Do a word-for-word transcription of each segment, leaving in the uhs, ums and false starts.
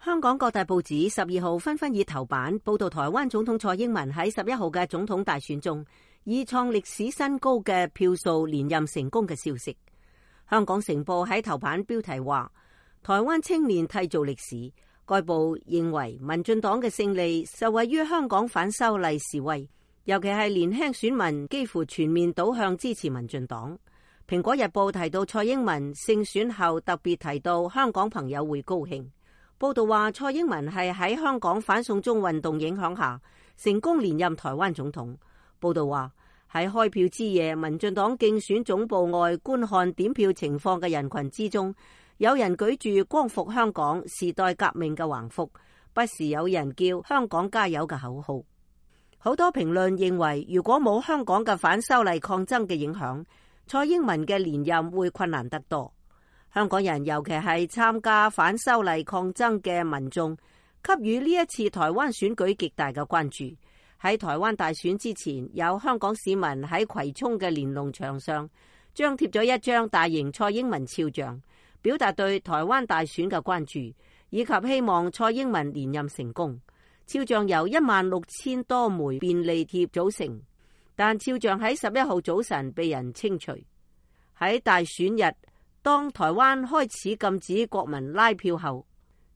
香港各大報紙十二號紛紛以頭版報道台灣總統蔡英文喺十一號嘅總統大選中以創歷史新高嘅票數連任成功嘅消息。香港成報喺頭版標題話，台灣青年締造歷史。該報認為民進黨嘅勝利受惠於香港反修例示威，尤其係年輕選民幾乎全面倒向支持民進黨。蘋果日報提到蔡英文勝選後特別提到香港朋友會高興。報道話蔡英文係喺香港反送中運動影響下成功連任台灣總統。報道話喺開票之夜，民進黨競選總部外觀看點票情況嘅人群之中，有人舉住光復香港時代革命嘅橫幅，不時有人叫香港加油嘅口號。好多評論認為，如果冇香港嘅反修例抗爭嘅影響，蔡英文嘅連任會困難得多。香港人尤其係參加反修例抗爭嘅民眾，給予呢一次台灣選舉極大嘅關注。喺台灣大選之前，有香港市民喺葵涌嘅連儂牆上張貼咗一張大型蔡英文肖像，表達對台灣大選嘅關注，以及希望蔡英文連任成功。肖像由一萬六千多枚便利貼組成，但肖像喺十一號早晨被人清除。喺大選日，當台灣開始禁止國民拉票後，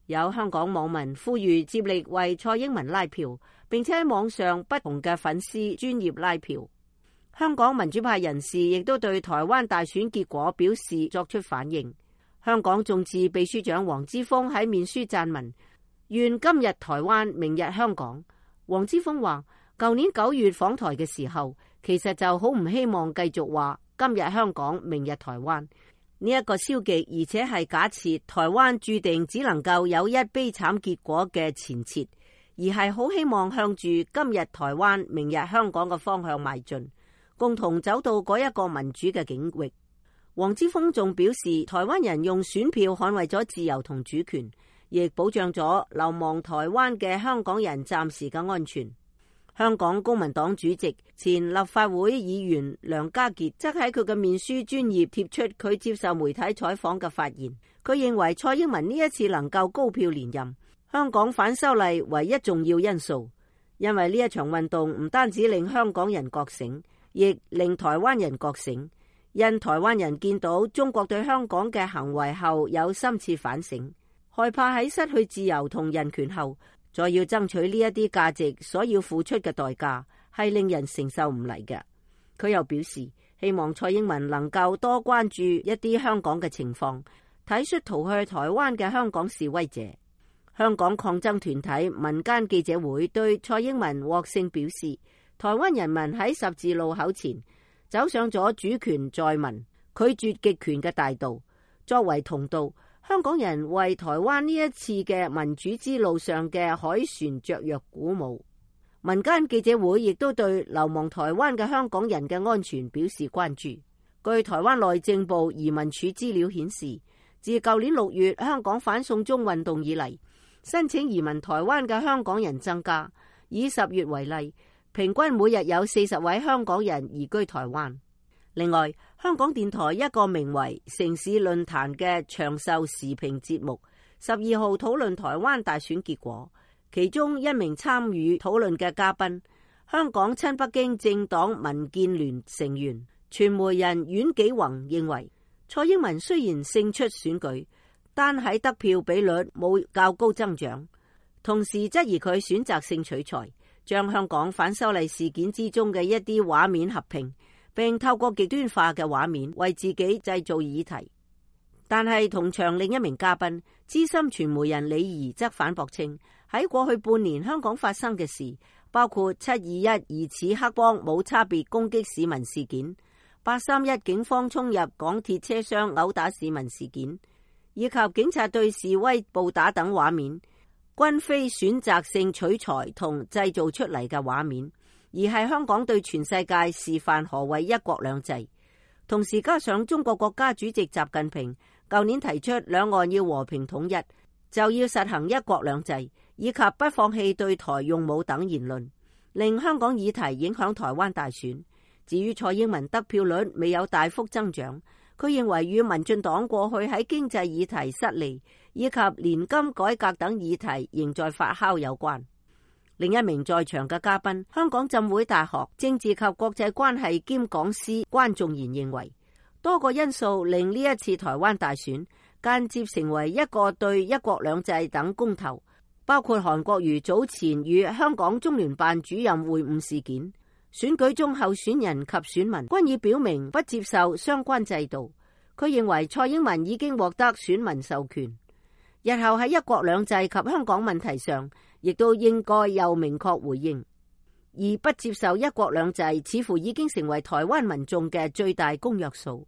有香港網民呼籲接力為蔡英文拉票，並且喺網上不同嘅粉絲專頁拉票。香港民主派人士亦都對台灣大選結果表示作出反應。香港眾志秘書長黃之鋒喺面書撰文，願今日台灣，明日香港。黃之鋒話，舊年九月訪台嘅時候，其實就好唔希望繼續話今日香港，明日台灣。呢一個消極而且係假設台灣注定只能夠有一悲慘結果嘅前設，而係好希望向住今日台灣明日香港嘅方向邁進，共同走到嗰一個民主嘅境域。黃之鋒仲表示，台灣人用選票捍衛咗自由同主權，亦保障咗流亡台灣嘅香港人暫時嘅安全。香港公民黨主席、前立法會議員梁家傑則喺佢嘅面書專頁貼出佢接受媒體採訪嘅發言。佢認為蔡英文呢一次能夠高票連任，香港反修例唯一重要因素，因為呢一場運動唔單止令香港人覺醒，亦令台灣人覺醒。因台灣人見到中國對香港嘅行為後有深切反省，害怕喺失去自由同人權後，再要爭取呢一啲價值所要付出嘅代價係令人承受唔嚟嘅。佢又表示，希望蔡英文能夠多關注一啲香港嘅情況，體恤逃去台灣嘅香港示威者。香港抗爭團體民間記者會對蔡英文獲勝表示，台灣人民喺十字路口前走上咗主權在民、拒絕極權嘅大道。作為同道，香港人為台灣呢一次嘅民主之路上嘅凱旋雀躍鼓舞。民間記者會亦都對流亡台灣嘅香港人嘅安全表示關注。據台灣內政部移民署資料顯示，自舊年六月香港反送中運動以嚟，申請移民台灣嘅香港人增加。以十月為例，平均每日有四十位香港人移居台灣。另外，香港電台一個名為城市論壇嘅長壽時評節目，十二號討論台灣大選結果。其中一名參與討論嘅嘉賓，香港親北京政黨民建聯成員、傳媒人阮紀宏認為，蔡英文雖然勝出選舉，但喺得票比率冇較高增長，同時質疑佢選擇性取材，將香港反修例事件之中嘅一啲畫面合併，並透過極端化嘅畫面為自己製造議題。但係同場另一名嘉賓資深傳媒人李怡則反駁稱，喺過去半年香港發生嘅事，包括七二一疑似黑幫冇差別攻擊市民事件、八三一警方衝入港鐵車廂毆打市民事件，以及警察對示威暴打等畫面，均非選擇性取材同製造出嚟嘅畫面，而係香港對全世界示範何謂一國兩制。同時加上中國國家主席習近平舊年提出兩岸要和平統一，就要實行一國兩制，以及不放棄對台用武等言論，令香港議題影響台灣大選。至於蔡英文得票率未有大幅增長，佢認為與民進黨過去喺經濟議題失利，以及年金改革等議題仍在發酵有關。另一名在場嘅嘉賓，香港浸會大學政治及國際關係兼講師關仲然認為，多個因素令呢一次台灣大選間接成為一個對一國兩制等公投，包括韓國瑜早前與香港中聯辦主任會晤事件，選舉中候選人及選民均已表明不接受相關制度。佢認為蔡英文已經獲得選民授權，日後喺一國兩制及香港問題上，亦都應該有明確回應。而不接受一國兩制似乎已經成為台灣民眾嘅最大公約數。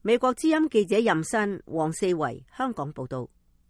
美國之音記者任新、黃四維香港報道。